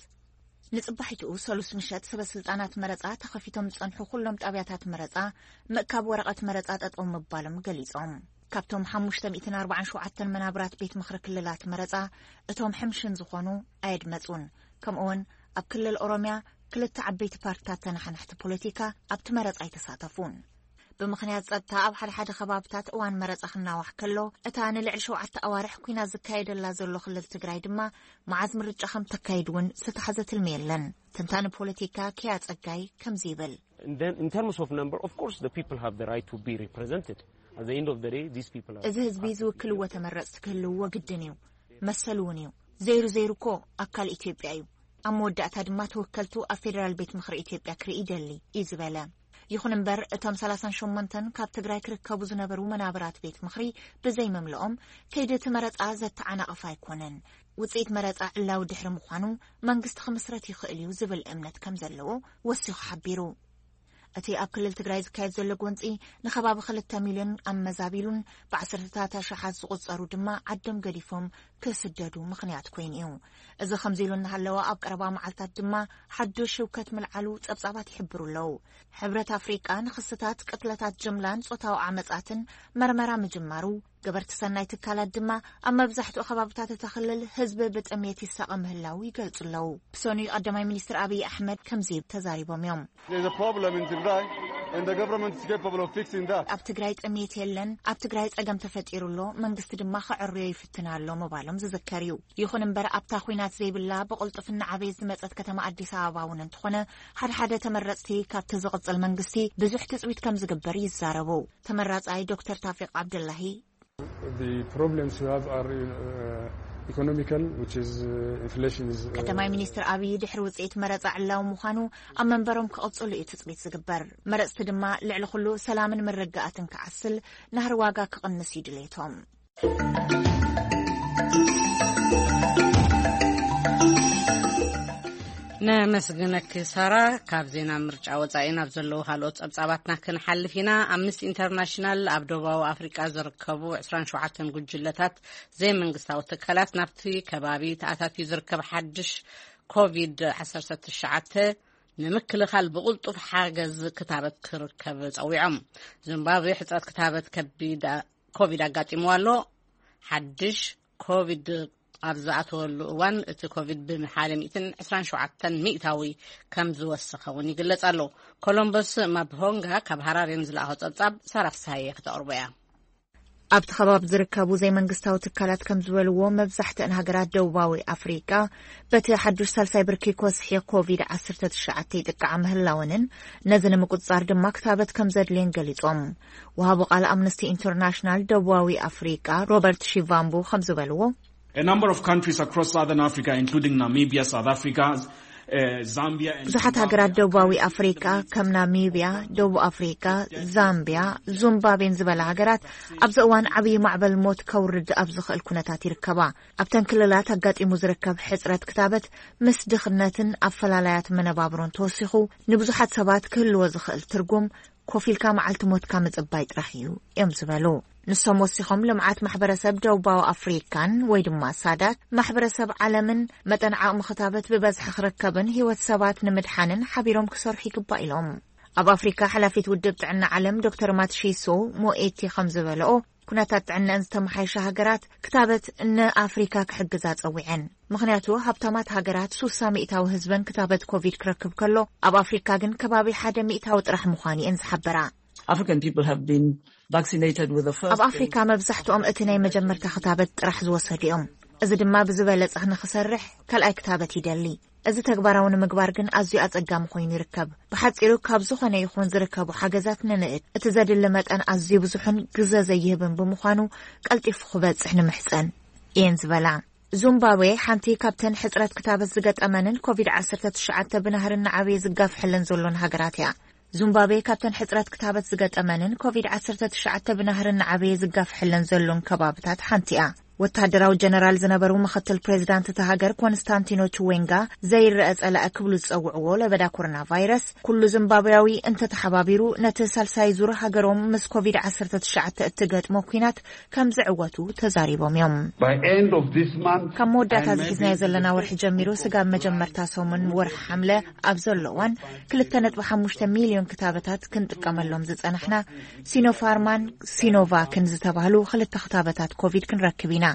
ንጽባሒትኡ ሰሉስ ምሸት ሰበ ስልጣናት መረጻ ተኸፊቶም ዝጸንሑ ኩሎም ጣብያታት መረጻ ምእካብ ወረቐት መረጻ ጠጠው ምባሎም ገሊጾም። ካብቶም ሓሙሽተ ሚእትን ኣርባዓን ሸውዓተን መናብራት ቤት ምኽሪ ክልላት መረጻ እቶም ሕምሽን ዝኾኑ ኣየድመጹን። ከምኡውን ኣብ ክልል ኦሮሚያ ክልተ ዓበይቲ ፓርትታት ተነሓናሕቲ ፖለቲካ ኣብቲ መረጻ ኣይተሳተፉን። ብምኽንያት ጸጥታ ኣብ ሓደ ሓደ ከባብታት እዋን መረጻ ክናዋሕ ከሎ እታ ንልዕሊ ሸውዓተ ኣዋርሕ ኲናት ዝካየደላ ዘሎ ክልል ትግራይ ድማ መዓዝ ምርጫ ከም ተካይድ እውን ዝተታሕዘ ትልሚ የለን። ተንታኒ ፖለቲካ ኪያ ጸጋይ ከምዚ ይብል። And then, in terms of number, of course, the people have the right to be represented. At the end of the day, these people are. እዚ ህዝቢ ዝውክልዎ ተመረጽቲ ክህልውዎ ግድን እዩ። መሰሉ እውን እዩ። ዘይሩ ዘይሩ እኮ ኣካል ኢትዮጵያ እዩ። ኣብ መወዳእታ ድማ ተወከልቱ ኣብ ፌዴራል ቤት ምኽሪ ኢትዮጵያ ክርኢ ይደሊ እዩ ዝበለ። ይኹን እምበር እቶም ሰላሳን ሸሞንተን ካብ ትግራይ ክርከቡ ዝነበሩ መናብራት ቤት ምኽሪ ብዘይምምልኦም ከይዲ እቲ መረጻ ዘተዓናቕፍ ኣይኮነን። ውጽኢት መረጻ ዕላዊ ድሕሪ ምዃኑ መንግስቲ ክምስረት ይኽእል እዩ ዝብል እምነት ከም ዘለዎ ወሲኹ ሓቢሩ። እቲ ኣብ ክልል ትግራይ ዝካየድ ዘሎ ጎንጺ ንከባቢ ክልተ ሚልዮን ኣመዛቢሉን ብዓሰርተታት ኣሽሓት ዝቑጸሩ ድማ ዓዶም ገዲፎም ክስደዱ ምኽንያት ኮይኑ እዩ። እዚ ከምዚ ኢሉ እናሃለወ ኣብ ቀረባ መዓልታት ድማ ሓዱሽ ህውከት ምልዓሉ ጸብጻባት ይሕብሩ ኣለዉ። ሕብረት ኣፍሪቃ ንኽስታት ቅትለታት ጅምላን ጾታዊ ዓመጻትን መርመራ ምጅማሩ ገበርቲ ሰናይ ትካላት ድማ ኣብ መብዛሕትኡ ከባብታት እታ ክልል ህዝቢ ብጥምየት ይሳቐ ምህላው ይገልጹ ኣለዉ። ብሰኑይ ቀዳማይ ሚኒስትር ኣብይ ኣሕመድ ከምዚ ተዛሪቦም እዮም። There's a problem in Tigray and the government is capable of fixing that. ኣብ ትግራይ ጥምየት የለን፣ ኣብ ትግራይ ጸገም ተፈጢሩ ኣሎ፣ መንግስቲ ድማ ክዕርዮ ይፍትን ኣሎ ምባሎም ዝዝከር እዩ። ይኹን እምበር ኣብታ ኹናት ዘይብላ ብቕልጡፍ እናዓበየት ዝመጸት ከተማ ኣዲስ ኣበባ እውን እንተኾነ ሓደ ሓደ ተመረጽቲ ካብቲ ዝቕጽል መንግስቲ ብዙሕ ትጽቢት ከም ዝግበር ይዛረቡ። ተመራጻይ ዶክተር ታፊቅ ዓብደላሂ The problems we have are uh, economical, which is uh, inflation is. Uh, ቀዳማይ ሚኒስትር ኣብይ ድሕሪ ውፅኢት መረፃ ዕላዊ ምዃኑ ኣብ መንበሮም ክቕፅሉ እዩ ትፅቢት ዝግበር። መረፅቲ ድማ ልዕሊ ኩሉ ሰላምን ምርግኣትን ክዓስል ናህሪ ዋጋ ክቕንስ እዩ ድሌቶም። ነመስግነኪ ሳራ። ካብ ዜና ምርጫ ወጻኢ ናብ ዘለዉ ካልኦት ጸብጻባትና ክንሓልፍ ኢና። ኣምነስቲ ኢንተርናሽናል ኣብ ደቡባዊ ኣፍሪቃ ዝርከቡ ዕስራን ሸውዓተን ጉጅለታት ዘይመንግስታዊ ትካላት ናብቲ ከባቢ ተኣታትዩ ዝርከብ ሓድሽ ኮቪድ ዓሰርተ ትሽዓተ ንምክልኻል ብቕልጡፍ ሓገዝ ክታበት ክርከብ ጸዊዖም። ዚምባብዌ ሕጽረት ክታበት ከቢድ ኮቪድ ኣጋጢምዋ ኣሎ። ሓድሽ ኮቪድ ኣብ ዝኣተወሉ እዋን እቲ ኮቪድ ብሓደ ሚእትን ዕስራን ሸውዓተን ሚእታዊ ከም ዝወሰኸ እውን ይግለጽ ኣሎ። ኮሎምበስ ማብሆንጋ ካብ ሃራሬ ንዝለኣኾ ጸብጻብ ሳራ ፍስሃየ ክተቕርቦ እያ። ኣብቲ ከባቢ ዝርከቡ ዘይመንግስታዊ ትካላት ከም ዝበልዎ መብዛሕትአን ሃገራት ደቡባዊ ኣፍሪቃ በቲ ሓዱሽ ሳልሳይ ብርኪ ኮስሒ ኮቪድ ዓሰርተ ትሽዓተ ይጥቃዓ ምህላወንን ነዚ ንምቁጽጻር ድማ ክታበት ከም ዘድልየን ገሊጾም። ወሃቢ ቃል ኣምነስቲ ኢንተርናሽናል ደቡባዊ ኣፍሪቃ ሮበርት ሺቫምቡ ከም ዝበልዎ A number of countries across southern Africa, including Namibia, South Africa, uh, Zambia, and ብዙሓት ሃገራት ደቡባዊ ኣፍሪቃ ከም ናሚብያ፣ ደቡብ ኣፍሪቃ፣ ዛምቢያ፣ ዙምባቤን ዝበላ ሃገራት ኣብዚ እዋን ዓብዪ ማዕበል ሞት ከውርድ ኣብ ዝኽእል ኩነታት ይርከባ። ኣብተን ክልላት ኣጋጢሙ ዝርከብ ሕጽረት ክታበት ምስ ድኽነትን ኣፈላላያት መነባብሮን ተወሲኹ ንብዙሓት ሰባት ክህልዎ ዝኽእል ትርጉም ኮፍ ኢልካ መዓልቲ ሞትካ ምጽባይ ጥራሕ እዩ እዮም ዝበሉ። ንሶም ወሲኾም ልምዓት ማሕበረሰብ ደቡባዊ ኣፍሪካን ወይ ድማ ሳዳክ ማሕበረሰብ ዓለምን መጠን ዓቕሚ ክታበት ብበዝሒ ክርከብን ህይወት ሰባት ንምድሓንን ሓቢሮም ክሰርሑ ይግባእ ኢሎም። ኣብ ኣፍሪካ ሓላፊት ውድብ ጥዕና ዓለም ዶክተር ማትሺሶ ሞኤቲ ከም ዝበለኦ ኩነታት ጥዕናን ዝተመሓየሻ ሃገራት ክታበት ንኣፍሪካ ክሕግዛ ጸዊዐን። ምኽንያቱ ሃብታማት ሃገራት ሱሳ ሚእታዊ ህዝበን ክታበት ኮቪድ ክረክብ ከሎ፣ ኣብ ኣፍሪካ ግን ከባቢ ሓደ ሚእታዊ ጥራሕ ምዃኑ እየን ዝሓበራ። African people have been vaccinated with the first ኣብ ኣፍሪካ መብዛሕትኦም እቲ ናይ መጀመርታ ክታበት ጥራሕ ዝወሰዱ እዮም። እዚ ድማ ብዝበለጸ ንክሰርሕ ካልኣይ ክታበት ይደሊ። እዚ ተግባራዊ ንምግባር ግን ኣዝዩ ኣጸጋሚ ኮይኑ ይርከብ። ብሓጺሩ ካብ ዝኾነ ይኹን ዝርከቡ ሓገዛት ንንእድ። እቲ ዘድሊ መጠን ኣዝዩ ብዙሕን ግዘ ዘይህብን ብምዃኑ ቀልጢፉ ክበጽሕ ንምሕጸን እየን ዝበላ። ዙምባብዌ ሓንቲ ካብተን ሕጽረት ክታበት ዝገጠመንን ኮቪድ ዓሰርተ ትሽዓተ ብናህሪ እናዓበየ ዝጋፍሐለን ዘሎን ሃገራት እያ። ዙምባብዌ ካብተን ሕጽረት ክታበት ዝገጠመንን ኮቪድ ዓሰርተ ትሽዓተ ብናህሪ እናዓበየ ዝጋፍሐለን ዘሎን ከባብታት ሓንቲ እያ። ወታደራዊ ጀነራል ዝነበሩ ምኽትል ፕሬዚዳንት እታ ሃገር ኮንስታንቲኖ ቹዌንጋ ዘይረአ ጸላኢ ክብሉ ዝጸውዕዎ ለበዳ ኮሮና ቫይረስ ኩሉ ዚምባብያዊ እንተተሓባቢሩ ነቲ ሳልሳይ ዙር ሃገሮም ምስ ኮቪድ ዓሰርተ ትሽዓተ እትገጥሞ ኲናት ከም ዝዕወቱ ተዛሪቦም እዮም። By end of this month, ካብ መወዳእታ ዝሒዝናዮ ዘለና ወርሒ ጀሚሩ ስጋብ መጀመርታ ሰሙን ወርሒ ሓምለ ኣብ ዘሎ እዋን ክልተ ነጥቢ ሓሙሽተ ሚልዮን ክታበታት ክንጥቀመሎም ዝጸናሕና ሲኖፋርማን ሲኖቫክን ዝተባህሉ ክልተ ክታበታት ኮቪድ ክንረክብ ኢና።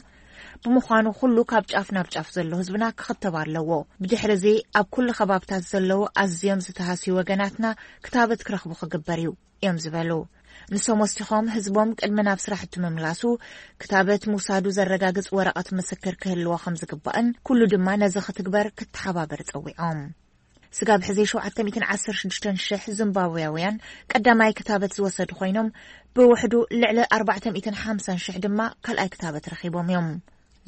ብምዃኑ ኩሉ ካብ ጫፍ ናብ ጫፍ ዘሎ ህዝብና ክኽተብ ኣለዎ። ብድሕሪ እዚ ኣብ ኩሉ ከባብታት ዘለዉ ኣዝዮም ዝተሃስዩ ወገናትና ክታበት ክረኽቡ ክግበር እዩ እዮም ዝበሉ። ንሶም ወሲኾም ህዝቦም ቅድሚ ናብ ስራሕቱ ምምላሱ ክታበት ምውሳዱ ዘረጋግጽ ወረቐት ምስክር ክህልዎ ከም ዝግባእን ኩሉ ድማ ነዚ ክትግበር ክተሓባበር ጸዊዖም። ስጋብ ሕዚ ሸውዓተ ሚእትን ዓሰርተ ሽዱሽተን ሽሕ ዚምባብያውያን ቀዳማይ ክታበት ዝወሰዱ ኮይኖም ብውሕዱ ልዕሊ ኣርባዕተ ሚእትን ሓምሳን ሽሕ ድማ ካልኣይ ክታበት ረኺቦም እዮም።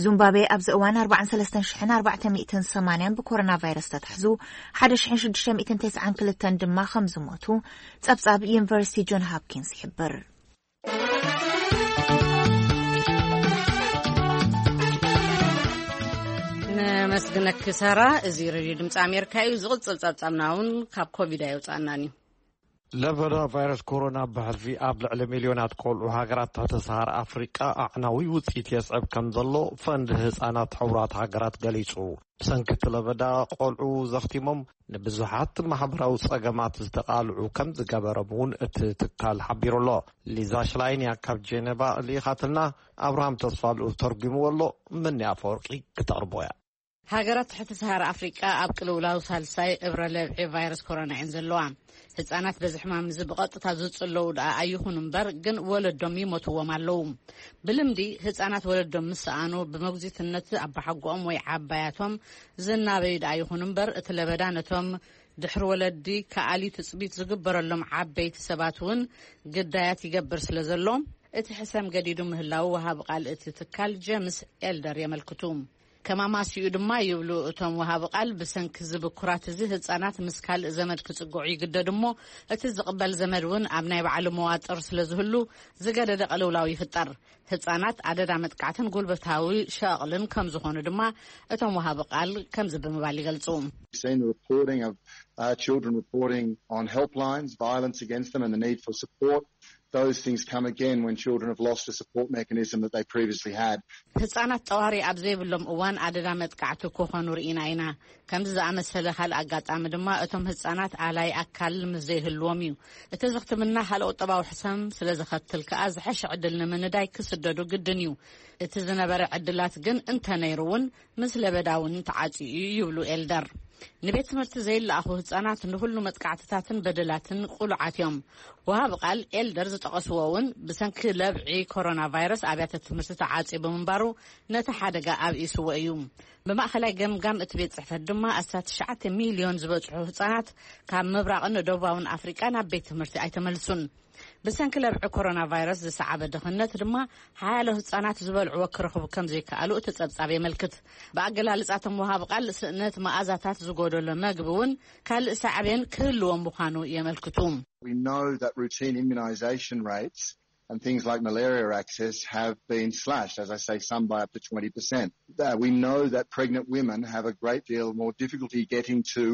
ዙምባብዌ ኣብዚ እዋን ኣርባዓን ሰለስተን ሽሕን ኣርባዕተ ሚእትን ሰማንያን ብኮሮና ቫይረስ ተታሕዙ፣ ሓደ ሽሕን ሽዱሽተ ሚእትን ተስዓን ክልተን ድማ ከም ዝሞቱ ጸብጻብ ዩኒቨርሲቲ ጆን ሃፕኪንስ ይሕብር። ነመስግነኪ ሳራ። እዚ ሬድዮ ድምፂ ኣሜሪካ እዩ። ዝቕፅል ጸብጻብና እውን ካብ ኮቪድ ኣይውፃእናን እዩ። ለበዳ ቫይረስ ኮሮና ብሕልፊ ኣብ ልዕሊ ሚልዮናት ቆልዑ ሃገራት ትሕቲ ሰሃራ ኣፍሪቃ ኣዕናዊ ውፅኢት የስዕብ ከም ዘሎ ፈንድ ህፃናት ሕቡራት ሃገራት ገሊጹ። ብሰንኪ እቲ ለበዳ ቆልዑ ዘኽቲሞም ንብዙሓት ማሕበራዊ ጸገማት ዝተቓልዑ ከም ዝገበሮም እውን እቲ ትካል ሓቢሩ ኣሎ። ሊዛ ሽላይን እያ ካብ ጄኔቫ ልኢኻትልና። ኣብርሃም ተስፋ ልኡል ተርጒምዎ ኣሎ። ምኒ ኣፈወርቂ ክተቕርቦ እያ። ሃገራት ትሕቲ ሰሃራ ኣፍሪቃ ኣብ ቅልውላው ሳልሳይ እብረ ለብዒ ቫይረስ ኮሮና እየን ዘለዋ። ህጻናት በዚ ሕማም እዚ ብቐጥታ ዝጽለዉ ደኣ ኣይኹኑ እምበር፣ ግን ወለዶም ይሞትዎም ኣለዉ። ብልምዲ ህጻናት ወለዶም ምስ ሰኣኑ፣ ብመጉዚትነት ኣባሓጎኦም ወይ ዓባያቶም ዝናበዩ ደኣ ይኹኑ እምበር፣ እቲ ለበዳ ነቶም ድሕሪ ወለዲ ከኣሊ ትጽቢት ዝግበረሎም ዓበይቲ ሰባት እውን ግዳያት ይገብር ስለ ዘሎ፣ እቲ ሕሰም ገዲዱ ምህላዉ ወሃቢ ቃል እቲ ትካል ጀምስ ኤልደር የመልክቱ። ከማማሲኡ ድማ ይብሉ እቶም ወሃቢ ቃል፣ ብሰንኪ እዚ ብኩራት እዚ ህጻናት ምስ ካልእ ዘመድ ክጽግዑ ይግደዱ እሞ፣ እቲ ዝቕበል ዘመድ እውን ኣብ ናይ ባዕሉ መዋጥር ስለ ዝህሉ ዝገደደ ቅልውላው ይፍጠር። ህጻናት ኣደዳ መጥቃዕትን ጉልበታዊ ሸቕልን ከም ዝኾኑ ድማ እቶም ወሃቢ ቃል ከምዚ ብምባል ይገልጹ። Seen the reporting of uh, children reporting on helplines, violence against them, and the need for support. Those things come again when children have lost a support mechanism that they previously had. ህጻናት ጠዋሪ ኣብ ዘይብሎም እዋን ኣደዳ መጥቃዕቲ ክኾኑ ርኢና ኢና። ከምዚ ዝኣመሰለ ካልእ ኣጋጣሚ ድማ እቶም ህጻናት ኣላይ ኣካል ምስ ዘይህልዎም እዩ። እቲ ዝኽትምና ካልእ ቁጠባዊ ሕሰም ስለ ዘኸትል ከኣ ዝሐሸ ዕድል ንምንዳይ ክስደዱ ግድን እዩ። እቲ ዝነበረ ዕድላት ግን እንተነይሩ እውን ምስ ለበዳ እውን ተዓጽዩ እዩ ይብሉ ኤልደር። ንቤት ትምህርቲ ዘይለኣኹ ህጻናት ንኹሉ መጥቃዕትታትን በደላትን ቁሉዓት እዮም። ወሃቢ ቃል ኤልደር ዝጠቐስዎ እውን ብሰንኪ ለብዒ ኮሮና ቫይረስ ኣብያተ ትምህርቲ ተዓጽዩ ብምንባሩ ነቲ ሓደጋ ኣብኢስዎ እዩ። ብማእኸላይ ገምጋም እቲ ቤት ጽሕፈት ድማ ኣስታት ትሽዓተ ሚልዮን ዝበጽሑ ህጻናት ካብ ምብራቕን ደቡባውን ኣፍሪቃ ናብ ቤት ትምህርቲ ኣይተመልሱን። ብሰንኪ ለብዒ ኮሮና ቫይረስ ዝሰዓበ ድኽነት ድማ ሓያሎ ህጻናት ዝበልዕዎ ክረኽቡ ከም ዘይከኣሉ እቲ ጸብጻብ የመልክት። ብኣገላልጻ እቶም ወሃቢ ቃል፣ ስእነት መኣዛታት ዝጎደሎ መግቢ እውን ካልእ ሳዕቤን ክህልዎ ምዃኑ የመልክቱ። We know that routine immunisation rates and things like malaria access have been slashed, as I say, some by up to twenty percent. Uh, we know that pregnant women have a great deal more difficulty getting to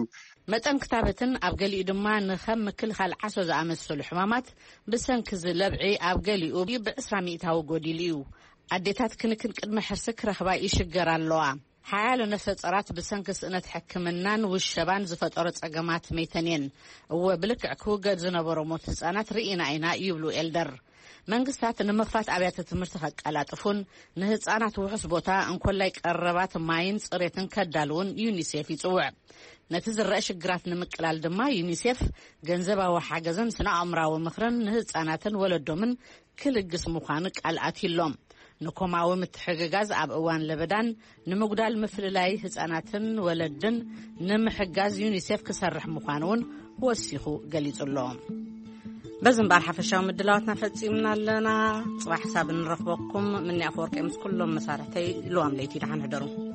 መጠን ክታበትን ኣብ ገሊኡ ድማ ንኸም ምክልኻል ዓሶ ዝኣመሰሉ ሕማማት ብሰንኪ እዚ ለብዒ ኣብ ገሊኡ ብዕስራ ሚእታዊ ጎዲሉ እዩ። ኣዴታት ክንክን ቅድመ ሕርሲ ክረኽባ ይሽገራ ኣለዋ። ሓያሎ ነፍሰ ጸራት ብሰንኪ ስእነት ሕክምናን ውሸባን ዝፈጠሮ ጸገማት መይተን እየን። እወ፣ ብልክዕ ክውገድ ዝነበሮ ሞት ህጻናት ርኢና ኢና ይብሉ ኤልደር። መንግስታት ንምኽፋት ኣብያተ ትምህርቲ ከቀላጥፉን ንህጻናት ውሑስ ቦታ እንኮላይ ቀረባት ማይን ጽሬትን ከዳልውን ዩኒሴፍ ይጽውዕ። ነቲ ዝረአ ሽግራት ንምቅላል ድማ ዩኒሴፍ ገንዘባዊ ሓገዝን ስነ ኣእምራዊ ምኽርን ንህጻናትን ወለዶምን ክልግስ ምዃኑ ቃል ኣትዩሎም። ንኮማዊ ምትሕግጋዝ ኣብ እዋን ለበዳን ንምጉዳል ምፍልላይ ህጻናትን ወለድን ንምሕጋዝ ዩኒሴፍ ክሰርሕ ምዃኑ እውን ወሲኹ ገሊጹ ኣሎ። በዚ እምበኣር ሓፈሻዊ ምድላዋትና ፈጺምና ኣለና። ጽባሕ ክሳብ እንረኽበኩም ምኒ ኣፈወርቂ ምስ ኩሎም መሳርሕተይ ልዋም ለይቲ ደሓን ሕደሩ።